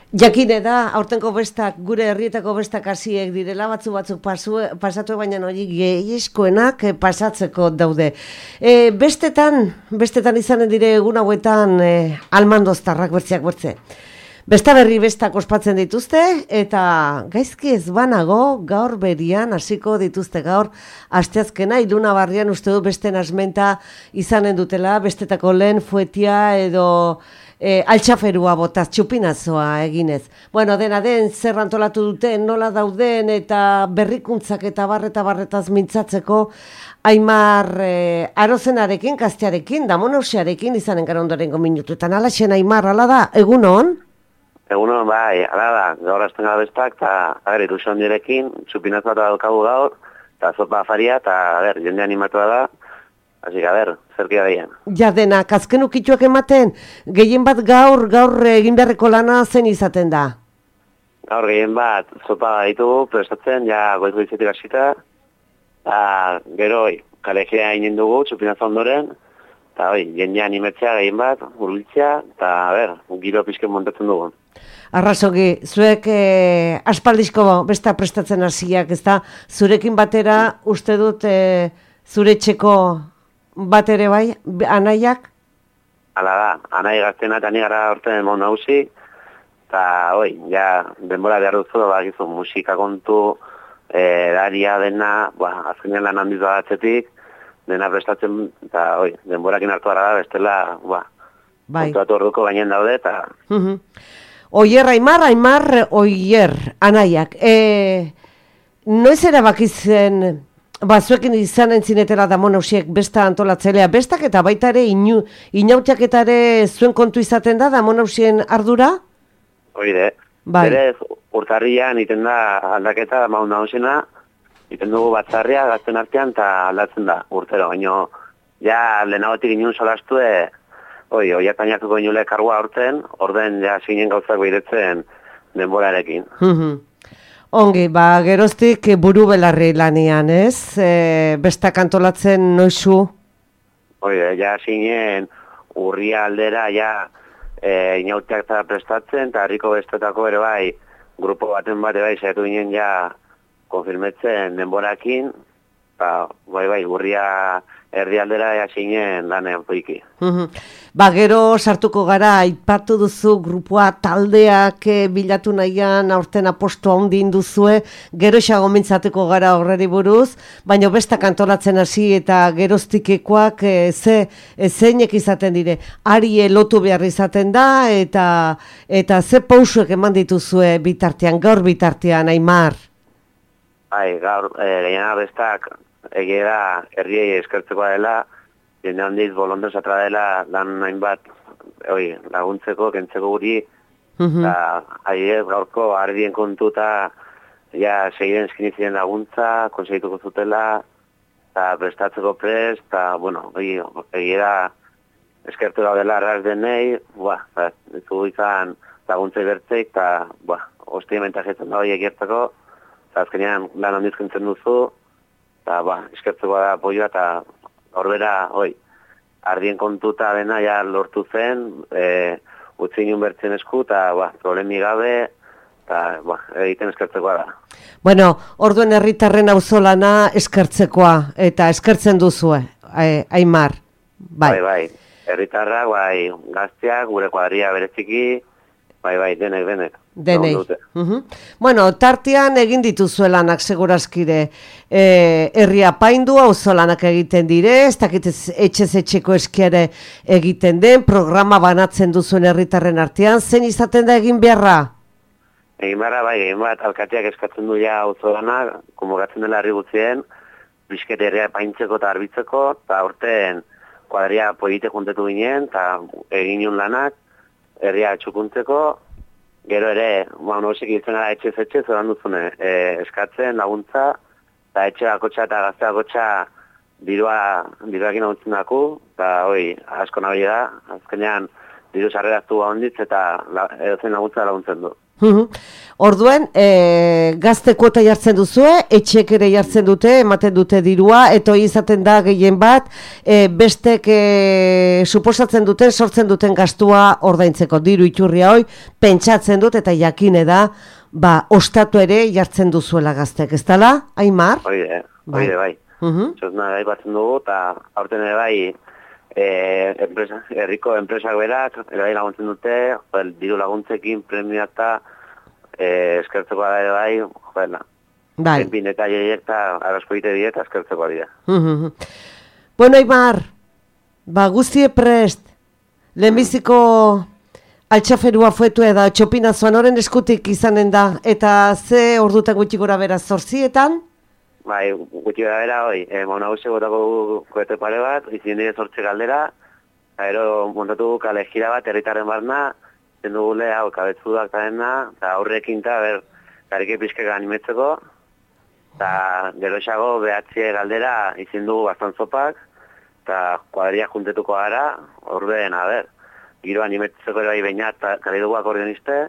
Jakine da, aurtenko bestak, gure herrietako bestak hasiek direla, batzuk pasatu, baina hori gehiezkoenak pasatzeko daude. Bestetan izanen dire egun hauetan almandoztarrak bertzeak bertze. Besta berri bestak ospatzen dituzte, eta gaizki ez banago gaur berian hasiko dituzte gaur asteazkena, Ilunabarrian uste du beste nasmenta izanen dutela, bestetako lehen fuetia edo altxaferua botaz, txupinazoa eginez. Bueno, dena den, zer antolatu duten, nola dauden eta berrikuntzak eta barretaz mintzatzeko, Aimar Arozenarekin, Gaztearekin, Damonausearekin izanen gara ondorengo minutuetan. Alaxen, Aimar, ala da, egunon? Egunon, bai, ala da, gaur azten gara bestak, eta ilusion direkin, txupinazoa eta daukagu gaur, eta zopa afaria, eta jende animatua da, hasi zerkia daien. Ja dena, azken ukituak ematen, gehien bat gaur egin beharreko lana zen izaten da? Gaur gehien bat, zopa ditugu, prestatzen, ja goiz-goizetik hasita, eta gero, kalejea inen dugu, txupinazoa ondoren, eta jende animetzea gehien bat, urbiltzea, eta giro pizken montatzen dugu. Arrazogi, zuek aspaldizko besta prestatzen hasiak, ez da, zurekin batera, uste dut zure etxeko bat ere bai, anaiak? Hala da, anai gaztena eta ni gara orten mon nauzi, eta denbora behar duzu, bakizu musika kontu, daria dena, azkenean lan handiz badatzetik, dena prestatzen, eta denborakin hartu gara da, bestela, kontuatu orduko gainen daude, eta... Oier, Aimar, Oier, anaiak. Noiz erabakitzen, zuekin izan entzinetela Damonausiek besta antolatzelea, bestak eta baita ere inautiak eta ere zuen kontu izaten da Damonausien ardura? Oide, berez urtarrian iten da aldaketa Damonausiena, iten dugu batzarria gazten artean eta aldatzen da urtero, baina ja lehenagotik inun solastu oiatainatuko inule kargua aurten, orden ja zinen gauzak behiretzen denborarekin. Ongi, geroztik buru belarri lanian, ez? Bestak antolatzen noizu? Ja zinen urria aldera, inautiak eta prestatzen, eta harriko bestetako ere bai, grupo baten bate bai, zaitu ginen konfirmetzen denborakin, eta urria erdialdera zinen lanean poiki. Gero sartuko gara, aipatu duzu grupua taldeak bilatu nahian aurten apostu handin duzue, gero xago mintzatuko gara horreri buruz, baina bestak antolatzen hasi eta geroztikekoak zeinek izaten dire, ari lotu behar izaten da, eta ze pausuek eman dituzue bitartean, gaur bitartean, Aimar? Gaur, gehiena bestak, egia da, herriei eskertzekoa dela, jende handiz bolondez atra dela lan hainbat laguntzeko, kentzeko guri, eta gaurko ardien kontu eta segiren eskinizien laguntza, konsegituko zutela, eta prestatzeko prest, eta, egia da, eskertu gaudela arraz denei, ez dugu izan laguntzei bertzeik, eta, hostia mentajetzen da horiek gertzeko, eta azkenean lan handiz kentzen duzu, eta, eskertzeko da apoioa, eta horbera, ardien kontuta dena lortu zen, utzi inun bertzen esku, eta problemi gabe, eta egiten eskertzekoa da. Bueno, orduen herritarren auzolana eskertzekoa, eta eskertzen duzue, Aimar. Bai, herritarrak, gazteak, gure kuadria bereziki, denek. Denei. Bueno, tartean egin dituzuelanak segurazkire, herria paindu, auzolanak egiten dire, ez dakit etxez etxeko eskiare egiten den, programa banatzen duzuen herritarren artean, zein izaten da egin beharra? Egin bat, alkateak eskatzen du auzolanak, konbokatzen dela herri gutzien, bizket herria paintzeko eta arbitzeko, eta aurten kuadria polite juntetu ginen, eta egin nion lanak, herria txukuntzeko, gero ere, nosek hiltzen gara etxez zoran duzune, eskatzen laguntza, eta etxe bakotxa eta gazte bakotxa diruakin laguntzen daku, eta asko nabile da, azkenean diru sarreraztu onditz eta edozen laguntza laguntzen du. Orduen, gazte kuota jartzen duzue, etxek ere jartzen dute, ematen dute dirua, eta hori izaten da gehien bat, bestek suposatzen duten, sortzen duten gastua ordaintzeko diru iturria hoi, pentsatzen dut eta jakine da, ostatu ere jartzen duzuela gaztek, ez dala, Aimar? Oide, bai. Txosna gai batzen dugu, eta aurten ere bai, herriko enpresak berak, ere laguntzen dute, diru laguntzekin premiata, eskertzeko da ere bai, joela. Bai. Enpin eta jaiek eta arrasko egite diet, eskertzeko dira. Bueno, Aimar, guztie prest, lehenbiziko altxaferua fuetu eda, txopina zoan oren eskutik izanen da, eta ze ordutan gutxi gora bera 8:00? Bai, gutxi gora bera, mauna guzti gotako koete pare bat, izin dire 8 galdera, gero montatu kale gira bat, herritaren barna, dugule, kabetzudak eta dena, eta aurrekin eta garike pixkeka animetzeko, eta gero esago behatzie galdera izin dugu bastan zopak, eta kuadria juntetuko gara, ordeen, giro animetzeko ere bai baina, eta kare dugu akordioniste,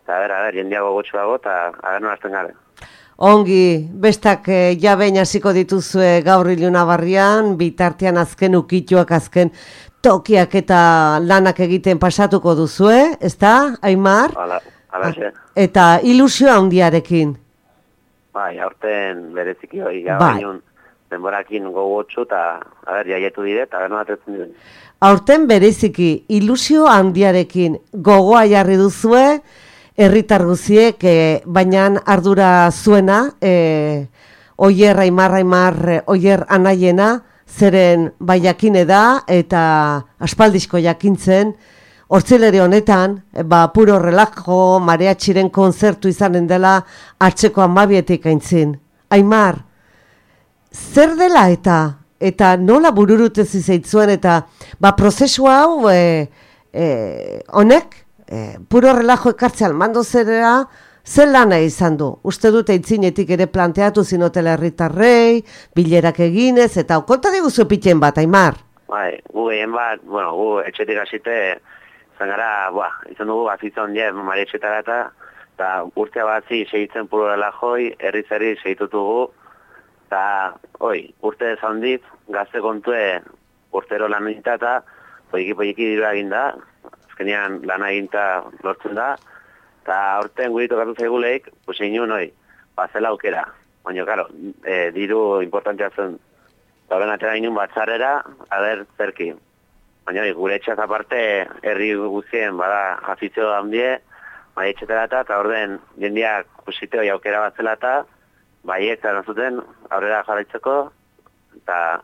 eta jendiago gotxuago, eta nola azten garen. Ongi, bestak jabein hasiko dituzue gaur Iluna Barrian, bitartean azken ukituak, azken tokiak eta lanak egiten pasatuko duzue, ezta, Aimar? Hala, eta ilusio handiarekin. Bai, aurten bereziki hori, bainun denborakin gogotxu eta, jaietu dire, eta nola atetzen dire. Aurten bereziki ilusio handiarekin gogoa jarri duzue, herritar guziek, baina ardura zuena, Oier Aimar, Oier Anaiena, zeren jakine da eta aspaldizko jakintzen, hortzileri honetan, puro relajo, mariatxiren konzertu izanen dela hartzeko 12 aintzin. Aimar, zer dela eta nola bururutez izaitzuen eta prozesu hau honek, puro relajo ekartzea almando zera, zer lana izan du? Uste dut eitzinetik ere planteatu zinotela herritarrei, bilerak eginez, eta konta diguzu pitien bat, Aimar? Bai, gu gehien bat, gu etxetik hasite, izan gara, izan dugu azitza ondien marietxetara eta urtea batzi segitzen puro relajoi, herri segitutugu, eta, urte ezondit, gazte kontue urtero lan egita eta poiki diru eginda, azkenean lan eginta lortzen da, eta aurten gurito gartu zaiguleik, inun, zela aukera. Baina, karo, diru importantea zen. Eta horren atera inun batzarrera, zerki. Baina, gure etxaz aparte, herri guztien, jazizio handie, bai etxetara eta orden jendiak kusite hori aukera bat zela eta baiek zaren zuten, aurrera jarraitzeko, eta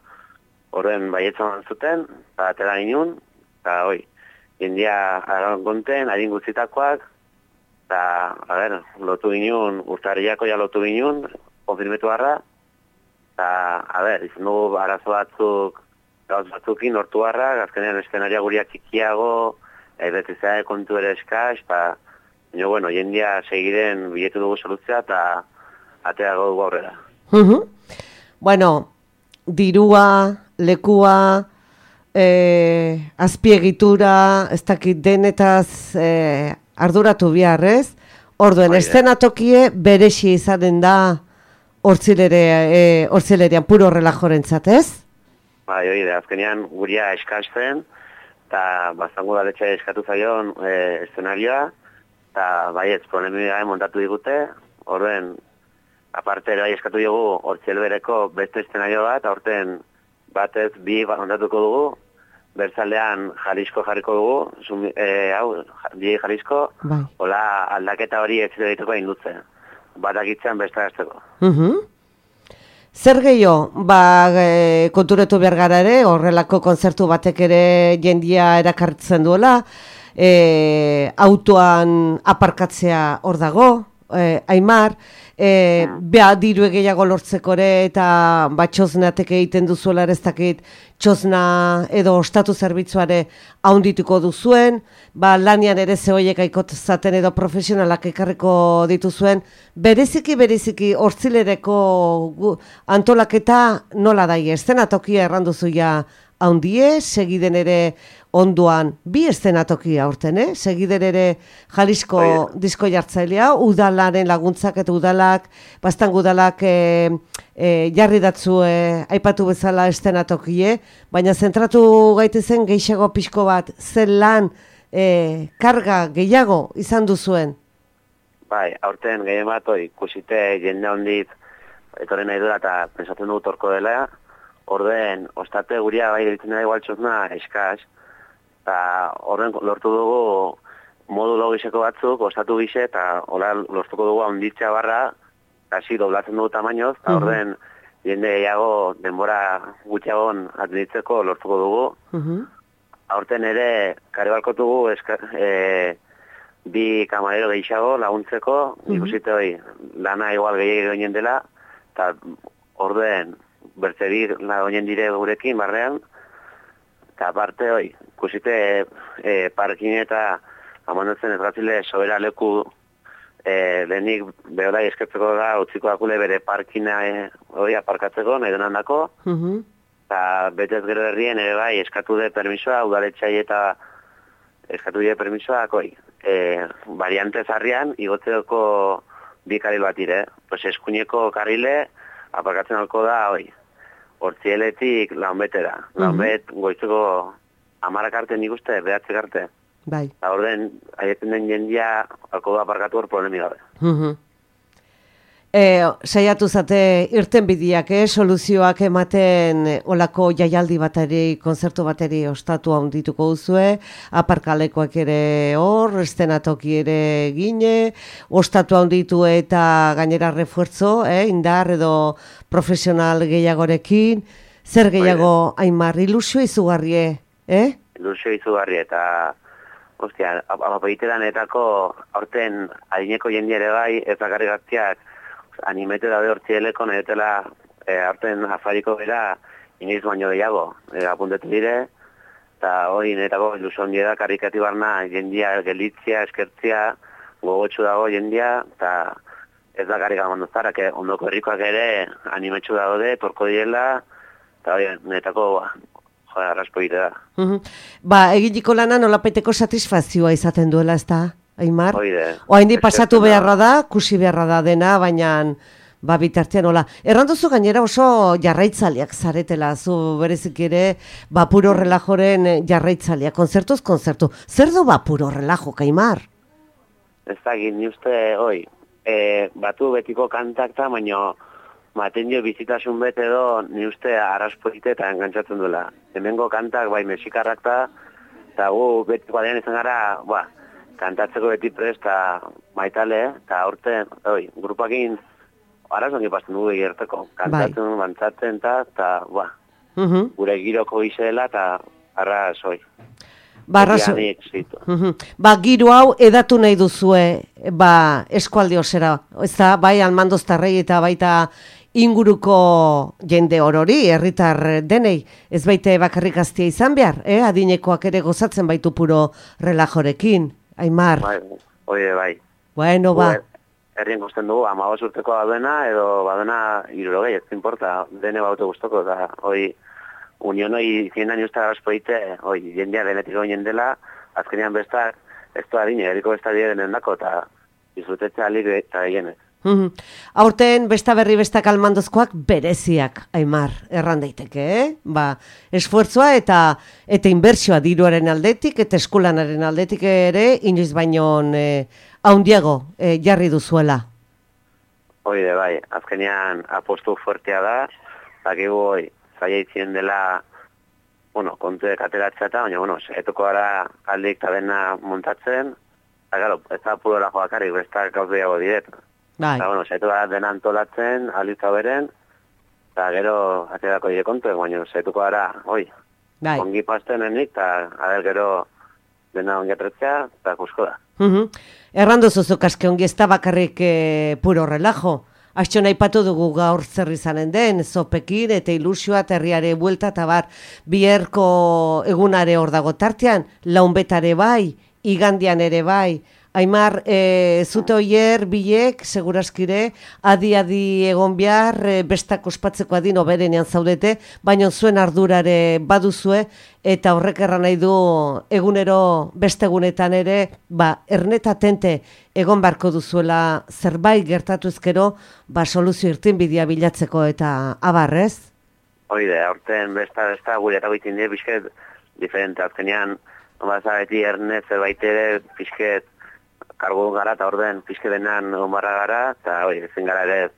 horren baietzen zuten, eta atera inun, eta jendia aran konten, adin guztitakoak, eta, lotu ginen, urtarriako lotu ginen, konfirmetu harra, eta, izan dugu arazo batzuk, gauz batzukin, hortu harra, azkenean eskenaria guriak txikiago, betizea kontu ere eskaz, eta, jendia segiren biletu dugu soluzia, eta ateago dugu aurrera. Dirua, lekua, azpiegitura, ez dakit denetaz arduratu biharrez, orduen eszenatokie berexi izanen da hortzilerian puro relajorentzat, ez? Bai, azkenean guria eskasten, eta bazango daletxa eskatu zaion eszenarioa, eta baietz, problemia montatu digute, orduen, aparte ere eskatu dugu hortzelbereko beste eszenario bat, aurten batez bi montatuko dugu, Berzaldean Jalisco jarriko dugu, DJ Jalisco, hola aldaketa hori ez dituko indutze. Batakitzen besta gazteko. Zer gehiago, konturetu behar gara ere, horrelako konzertu batek ere jendia erakartzen duela, autoan aparkatzea hor dago, Aimar, diru gehiago lortzeko ere eta txosnatek egiten duzuela ez dakit txosna edo ostatu zerbitzuare haundituko duzuen, lanian ere zehoiek aikotazaten edo profesionalak ekarriko dituzuen, bereziki hortzilereko antolaketa nola daie, eszenatokia erranduzu ja haundie, segiden ere onduan bi eszenatoki aurten, segiden ere Jalisco disko jartzailea, udalaren laguntzak eta udalak, bastan udalak jarri datzu aipatu bezala eszenatokie, baina zentratu gaitezen gehiago pixko bat, zen lan, karga gehiago izan duzuen? Bai, aurten gehien bat, ikusite jende hondit etorren nahi dela eta pensatzen dugu torko dela, orden, ostate guria bai geritzen da igualtxozna eskaz, eta orden lortu dugu modu logiseko batzuk, ostatu gise, eta hola lortuko dugu honditzea barra, hasi doblatzen dugu tamainoz, eta orden jende gehiago denbora gutxiagon atenditzeko lortuko dugu. Aurten ere, kare balkotu dugu bi kamarero gehiago laguntzeko, ikusite lana igual gehiago ginen dela, eta orden bertzerik lagoinen dire gurekin barrean, eta aparte ikusite parkin eta amandatzen ezgatzile sobera leku lehenik behorai eskertzeko da, utziko dakule bere parkina aparkatzeko, nahi denan dako, eta betez gero herrien ere bai eskatu de permisoa, udaletxai eta eskatu de permisoa, variante zarrian, igotzeko bi karil bat ire. Pues eskuineko karile, aparkatzen alko da, hortzieletik launbetera. Launbet goizeko 10 arte nik uste, 9 arte. Bai. Eta orden, aietzen den jendia, alko da aparkatu hor problemi gabe. Saiatu zate irten bidiak, soluzioak ematen olako jaialdi bateri, konzertu bateri ostatu handituko duzue, aparkalekoak ere hor, eszenatoki ere gine, ostatu handitu eta gainera refuerzo, indar edo profesional gehiagorekin, zer gehiago Aimar, ilusio izugarrie, Ilusio izugarrie eta ostia, apagiteranetako aurten adineko jendia ere bai, ez bakarrik gaztiak, animete daude hortzieleko, nahi dutela aurten afariko bera inoiz baino gehiago, apuntetu dire, eta hori netako ilusio ondia da, karikati barna jendia gelitzia, eskertzia, gogotxu dago jendia, eta ez da karika mandozara, ondoko herrikoak ere animetxu daude, torko direla, eta hori netako arraspo egite da. Eginiko lana nolapaiteko satisfazioa izaten duela, ez da? Aimar? Oaindi pasatu beharra da, kusi beharra da dena, baina bitartean hola. Erranduzu gainera oso jarraitzaliak zaretela, zu berezik ere Bapuro Relajoren jarraitzaliak, konzertuz konzertu. Zer du Bapuro Relajo, Aimar? Ez da, ni uste, batu betiko kantakta, baina maten dio bizitasun bete edo, ni uste arraspoite eta engantzatzen duela. Hemengo kantak, bai, mexikarrak eta gu betiko adean izan gara, kantatzeko beti presta maitale, eta aurten, grupakin arazongi pasten dugu egerteko. Kantatzen, bantzatzen, eta gure giroko izela, eta arrazoi. Giro hau edatu nahi duzue, eskualde osera, ez da, bai almandoztarrei eta baita inguruko jende orori, herritar denei, ez baite bakarrik gaztia izan behar, adinekoak ere gozatzen baitu Puro Relajorekin. Aimar. Bai. Bueno, Herrien guztien dugu, 15 urteko badena, edo badena 60, ez importa, dene baute guztoko, eta unionoi 100 años eta gaspoite, jendea denetik goinen dela, azkenean bestak, ez da adine, eriko bestak denen dako, eta izutetza alik eta gehienez. Aurten besta berri bestak almandozkoak bereziak, Aimar, erran daiteke, esfuerzoa eta inbertsioa diruaren aldetik eta eskulanaren aldetik ere inoiz baino haundiago jarri duzuela. Oide, bai, azkenean apostu fuertea da, dakigu zaila itzien dela, kontuek ateratzea eta, baina, etoko gara aldik eta dena montatzen, eta, ez da Puro Relajoakarik, bestak gauzu dago diret. Eta, zaitu gara dena antolatzen, alitza beren, eta gero aterako dire kontuek, baina zaituko gara, ongi pastenenik, eta gero dena ongi atretzea, eta kusko da. Errandu zuzuk aske ongi ez da bakarrik Puro Relajo. Astxo aipatu dugu gaur zer izanen den, zopekin eta ilusioa herriare buelta eta bierko egunare hor dago tartean, launbetare bai, igandian ere bai, Aimar, zute oier, bilek, seguraskire, adi egon behar, bestak ospatzeko adin oberenean zaudete, baina zuen ardurare baduzue, eta horrek erran nahi du egunero beste egunetan ere, erneta tente egon barko duzuela zerbait gertatuzkero, soluzio irtenbidea bilatzeko eta abarrez? Oide, aurten besta gure eta goitin dira pixket diferente, azkenean, beti erne zerbait ere pixket kargu gara eta orden pixketenan egon barra gara, eta ezin gara ere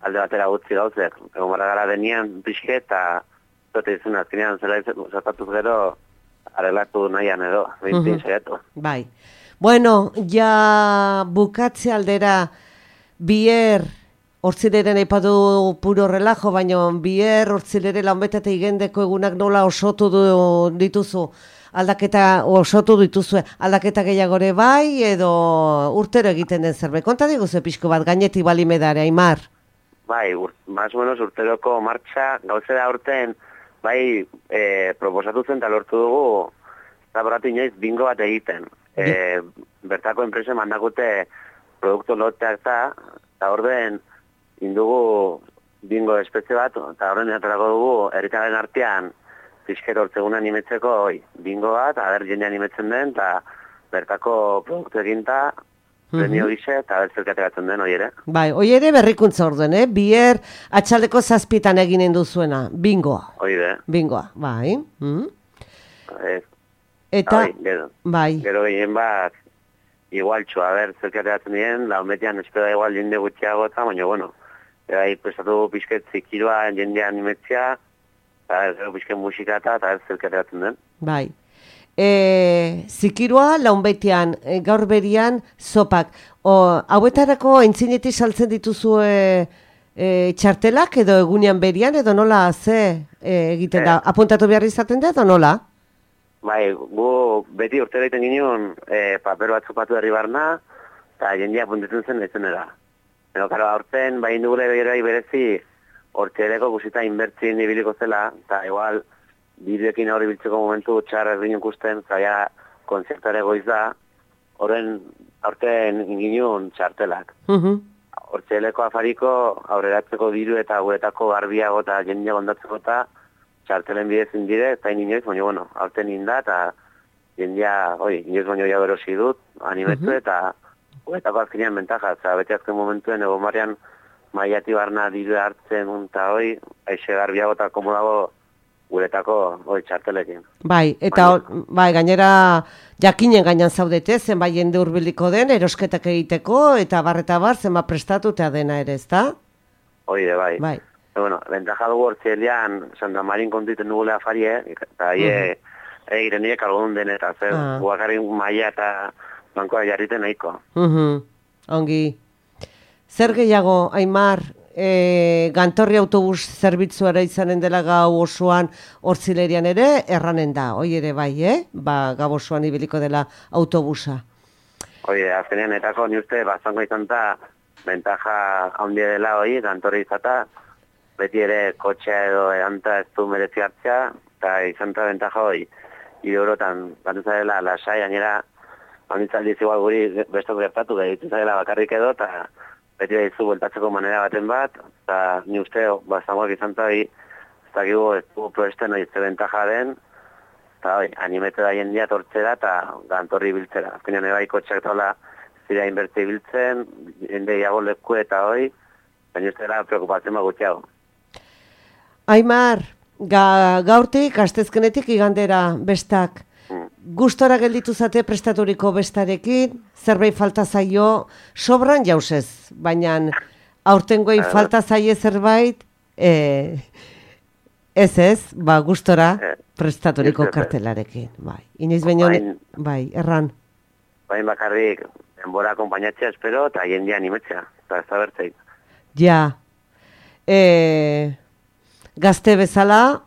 alde batera gutzi gauzek. Egon barra gara denean pixket, eta zote izun azkenean zertatuz gero arreglatu nahian edo, bintin saiatu. Bai. Bueno, ja bukatze aldera bier hortzileren aipatu puro relajo, baina bier hortzilere launbetate igendeko egunak nola osotu dituzu? Aldaketa osotu dituzue, aldaketa gehiagore bai, edo urtero egiten den zerbait. Konta diguzu pixko bat, gainetik balimedare, Aimar? Bai, más o menos urteroko martxa, gauzera urten, bai, proposatu zen eta lortu dugu, zaboratu inoiz bingo bat egiten. Bertako enpresen mandakute produktu loteak eta orden indugu bingo espezie bat, eta orden aterako dugu, herritaren artean, pixket hortzegun animetzeko, bingo bat, jendean animetzen den, eta bertako produktu eginta, premio gise, eta zerkate batzen den, ere. Bai, ere berrikuntza orden, Bier atxaldeko 7 eginen duzuena, bingoa. Oide. Bingoa, bai. Eta, bai. Gero gehien bat, igual txoa, zerkate batzen dien, launbetian espeda igual jende gutxiago eta, baina, bueno, prestatu pixket zikiroa jendean animetzea, eta gero pixken musika eta zerkateratzen den. Bai. Zikiroa launbetian, gaur berian, zopak. Hauetarako entzinetik saltzen dituzu txartelak edo egunean berian, edo nola egiten da? Apuntatu behar izaten da edo nola? Bai, gu beti urtera egiten ginen paper bat zupatu herri barna, eta jendea apuntatzen zen ezenera. Pero, karo, aurten, bai indugule berezi, hortxereko guzita inbertzien ibiliko zela, eta igual, bideoekin hori biltzeko momentu txarra erdin ikusten, zaila konzertare goiz da, horren aurten inginun txartelak. Hortxereko afariko aurreratzeko diru eta guretako garbiago eta jendea gondatzeko eta txartelen bidezin dire, eta inoiz, baina, bueno, aurten inda, eta jendea, inoiz baino ja berosi dut, animetu eta guretako azkenean bentaja, eta beti azken momentuen egon barrian maiati barna diru hartzen eta aixe garbiago eta komodago guretako txartelekin. Bai, eta gainera jakinen gainan zaudete, zenbait jende hurbiliko den, erosketak egiteko, eta bar, zenbat prestatu eta dena ere, ezta? Oide, bai. Bueno, bentaja dugu hortzilean, Santa Marin kontuten dugule afarie, eta egiten nire kalgodun den, eta zer, guakarrin maia eta bankoa jarriten nahiko. Ongi. Zer gehiago, Aimar, gantorri autobus zerbitzuara izanen dela gau osoan hortzilerian ere, erranen da, ere bai, gau osoan ibiliko dela autobusa. Azkenean etako ni uste, zango izan eta bentaja handia dela gantorri izata, beti ere kotxea edo edanta ez du merezi hartzea, eta izan eta bentaja idorotan, bantuz dela lasai, gainera, handitzaldiz igual guri bestok gertatu, gaitu dela bakarrik edo, eta beti da izu bueltatzeko manera baten bat, eta ni uste, zangoak izan eta ez dakigu ez du proesten hori ze bentaja den, eta animete da jendia tortzera eta gantorri biltzera. Azkenean ebai kotxak taula zira inbertze biltzen, jende iago leku eta baina uste dela preocupatzen gutxiago. Aimar, gaurtik, astezkenetik igandera bestak, gustora gelditu zate prestaturiko bestarekin, zerbait falta zaio, sobran jauzez, baina aurtengoi falta zaie zerbait, gustora prestaturiko kartelarekin. Inoiz baino, erran. Bain bakarrik, denbora akompainatzea espero, eta jendia animetzea, eta ez da bertzeik. Ja, gazte bezala,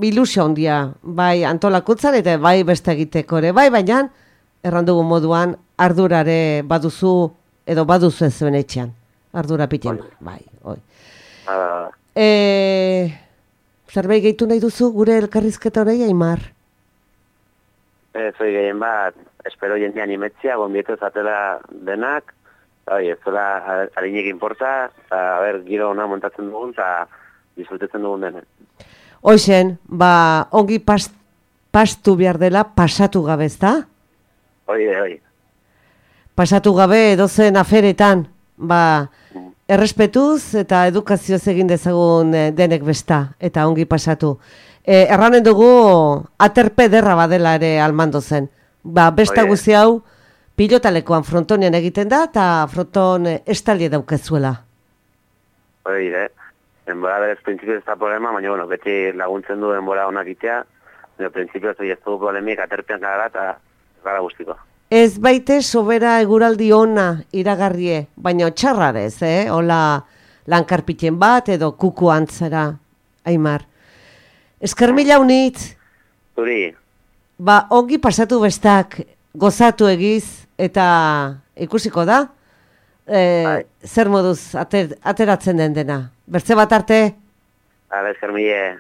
ilusio handia, bai antolakuntzan eta bai beste egiteko ere, baina errandugu moduan ardurare baduzu edo baduzu ez zuen etxean, ardura piten, zerbait gehitu nahi duzu gure elkarrizketa hori, Aimar? Zoi gehien bat, espero jendean imetzia, gonbieto zatela denak, ez zola harinek inporta, eta giro ona montatzen dugun, eta disfrutetzen dugun denen. Hoxen, ongi pastu behar dela pasatu gabe, ezta? Hoi. Pasatu gabe edozen aferetan, errespetuz eta edukazioz egin dezagun denek besta, eta ongi pasatu. Erranen dugu, aterpe derra badela ere Almando zen. Besta guzi hau, pilotalekoan frontonean egiten da, eta fronton estalie daukezuela. Denbora berez prinsipioz ez da problema, baina beti laguntzen du denbora onak itea, prinsipioz ez du polemik aterpean gara eta gara guztiko. Ez baite sobera eguraldi ona iragarrie, baina txarrarez, hola lankarpiten bat edo kuku antzera, Aimar. Esker mila unitz. Zuri. Ongi pasatu bestak, gozatu egiz, eta ikusiko da, zer moduz ateratzen den dena. Bertze bat arte? Esker mila.